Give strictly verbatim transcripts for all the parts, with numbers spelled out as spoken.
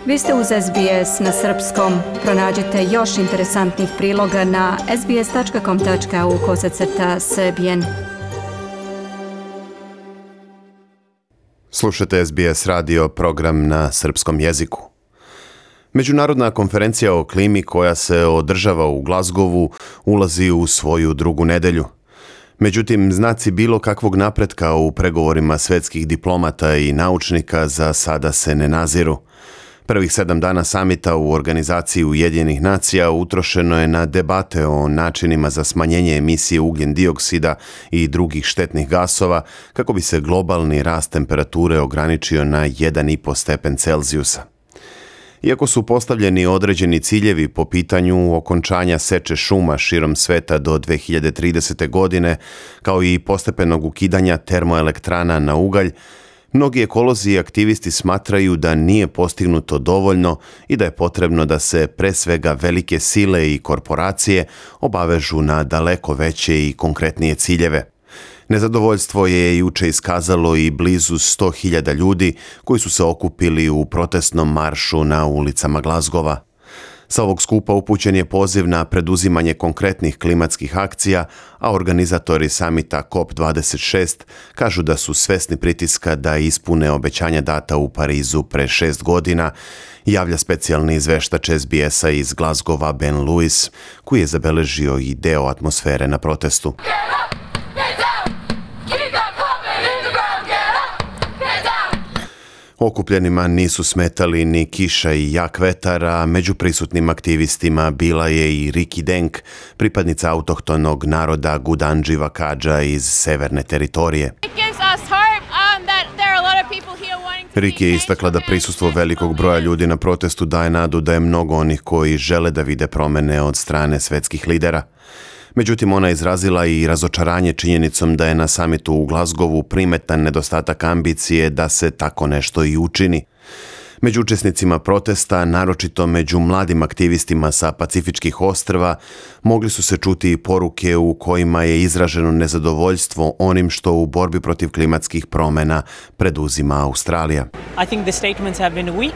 Vi ste uz S B S na srpskom. Pronađite još interesantnih priloga na sbs.com.au kosacrta srbijen. Slušate S B S radio, program na srpskom jeziku. Međunarodna konferencija o klimi koja se održava u Glasgowu ulazi u svoju drugu nedelju. Međutim, znaci bilo kakvog napretka u pregovorima svetskih diplomata i naučnika za sada se ne naziru. Prvih sedam dana samita u organizaciji Ujedinjenih nacija utrošeno je na debate o načinima za smanjenje emisije ugljen dioksida i drugih štetnih gasova kako bi se globalni rast temperature ograničio na jedan i po stepen Celzijusa. Iako su postavljeni određeni ciljevi po pitanju okončanja seče šuma širom sveta do dve hiljade tridesete. godine, kao i postepenog ukidanja termoelektrana na ugalj, mnogi ekolozi i aktivisti smatraju da nije postignuto dovoljno i da je potrebno da se pre svega velike sile i korporacije obavežu na daleko veće i konkretnije ciljeve. Nezadovoljstvo je juče iskazalo i blizu sto hiljada ljudi koji su se okupili u protestnom maršu na ulicama Glasgowa. Sa ovog skupa upućen je poziv na preduzimanje konkretnih klimatskih akcija, a organizatori samita C O P dvadeset šest kažu da su svesni pritiska da ispune obećanja data u Parizu pre šest godina, javlja specijalni izveštač S B S-a iz Glasgowa Ben Lewis, koji je zabeležio i deo atmosfere na protestu. Okupljenima nisu smetali ni kiša i jak vetar, a među prisutnim aktivistima bila je i Riki Denk, pripadnica autohtonog naroda Gudandži Vakadža iz severne teritorije. Riki je istakla da prisustvo velikog broja ljudi na protestu daje nadu da je mnogo onih koji žele da vide promene od strane svetskih lidera. Međutim, ona je izrazila i razočaranje činjenicom da je na samitu u Glasgowu primetan nedostatak ambicije da se tako nešto i učini. Među učesnicima protesta, naročito među mladim aktivistima sa Pacifičkih ostrva, mogli su se čuti poruke u kojima je izraženo nezadovoljstvo onim što u borbi protiv klimatskih promjena preduzima Australija. I think the statements have been weak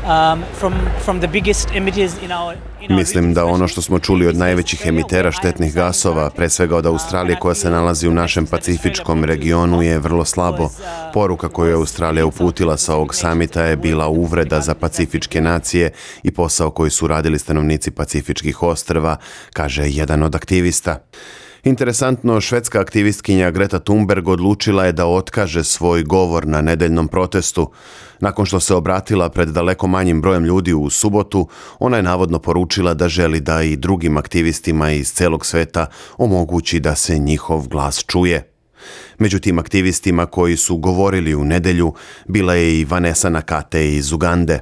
um, from from the biggest emitters in our Mislim da ono što smo čuli od najvećih emitera štetnih gasova, pre svega od Australije koja se nalazi u našem pacifičkom regionu, je vrlo slabo. Poruka koju je Australija uputila sa ovog samita je bila uvreda za pacifičke nacije i posao koji su radili stanovnici Pacifičkih ostrva, kaže jedan od aktivista. Interesantno, švedska aktivistkinja Greta Thunberg odlučila je da otkaže svoj govor na nedeljnom protestu. Nakon što se obratila pred daleko manjim brojem ljudi u subotu, ona je navodno poručila da želi da i drugim aktivistima iz celog sveta omogući da se njihov glas čuje. Među tim aktivistima koji su govorili u nedelju bila je i Vanessa Nakate iz Ugande.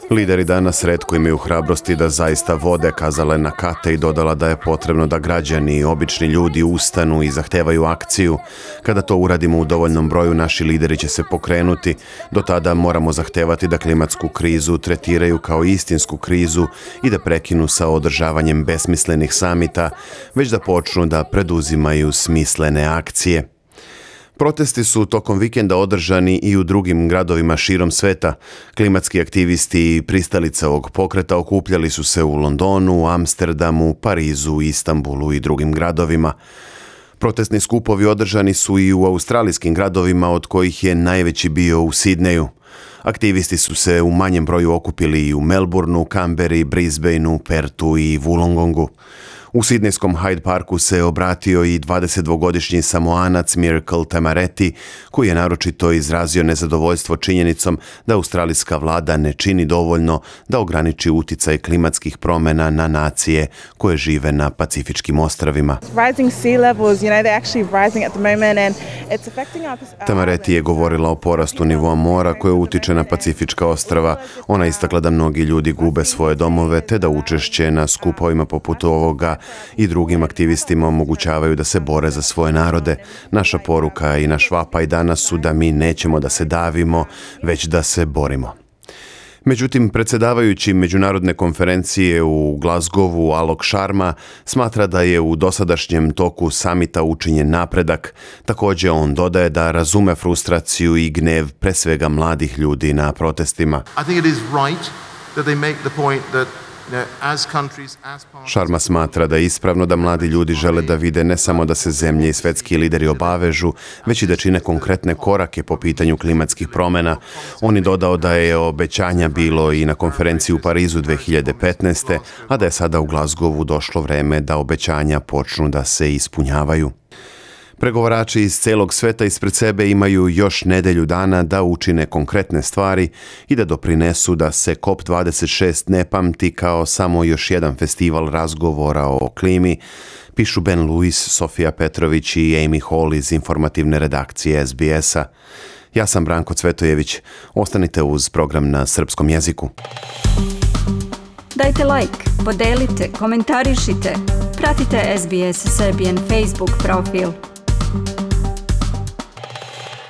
Lideri danas retko imaju hrabrosti da zaista vode, kazala je Nakate i dodala da je potrebno da građani i obični ljudi ustanu i zahtevaju akciju. Kada to uradimo u dovoljnom broju, naši lideri će se pokrenuti. Do tada moramo zahtevati da klimatsku krizu tretiraju kao istinsku krizu i da prekinu sa održavanjem besmislenih samita, već da počnu da preduzimaju smislene akcije. Protesti su tokom vikenda održani i u drugim gradovima širom sveta. Klimatski aktivisti i pristalice ovog pokreta okupljali su se u Londonu, Amsterdamu, Parizu, Istanbulu i drugim gradovima. Protestni skupovi održani su i u australijskim gradovima, od kojih je najveći bio u Sidneju. Aktivisti su se u manjem broju okupili i u Melbourneu, Canberri, Brisbaneu, Pertu i Wollongongu. U sidnejskom Hyde Parku se obratio i dvadesetdvogodišnji Samoanac Miracle Tamareti, koji je naročito izrazio nezadovoljstvo činjenicom da australijska vlada ne čini dovoljno da ograniči uticaj klimatskih promjena na nacije koje žive na Pacifičkim ostrvima. Tamareti je govorila o porastu nivoa mora koje utiče na Pacifička ostrva. Ona istakla da mnogi ljudi gube svoje domove te da učešće na skupovima poput ovoga i drugim aktivistima omogućavaju da se bore za svoje narode. Naša poruka i naš vapaj danas su da mi nećemo da se davimo, već da se borimo. Međutim, predsjedavajući međunarodne konferencije u Glasgowu Alok Sharma smatra da je u dosadašnjem toku samita učinjen napredak. Također on dodaje da razume frustraciju i gnev pre svega mladih ljudi na protestima. I think it is right that they make the point that Sharma smatra da je ispravno da mladi ljudi žele da vide ne samo da se zemlje i svetski lideri obavežu, već i da čine konkretne korake po pitanju klimatskih promjena. On je dodao da je obećanja bilo i na konferenciji u Parizu dve hiljade petnaeste. a da je sada u Glasgowu došlo vreme da obećanja počnu da se ispunjavaju. Pregovarači iz celog sveta ispred sebe imaju još nedelju dana da učine konkretne stvari i da doprinesu da se C O P dvadeset šest ne pamti kao samo još jedan festival razgovora o klimi, pišu Ben Lewis, Sofija Petrović i Amy Hall iz informativne redakcije S B S-a. Ja sam Branko Cvetojević. Ostanite uz program na srpskom jeziku. Dajte like, podelite, komentarišite. Pratite S B S Serbian Facebook profil.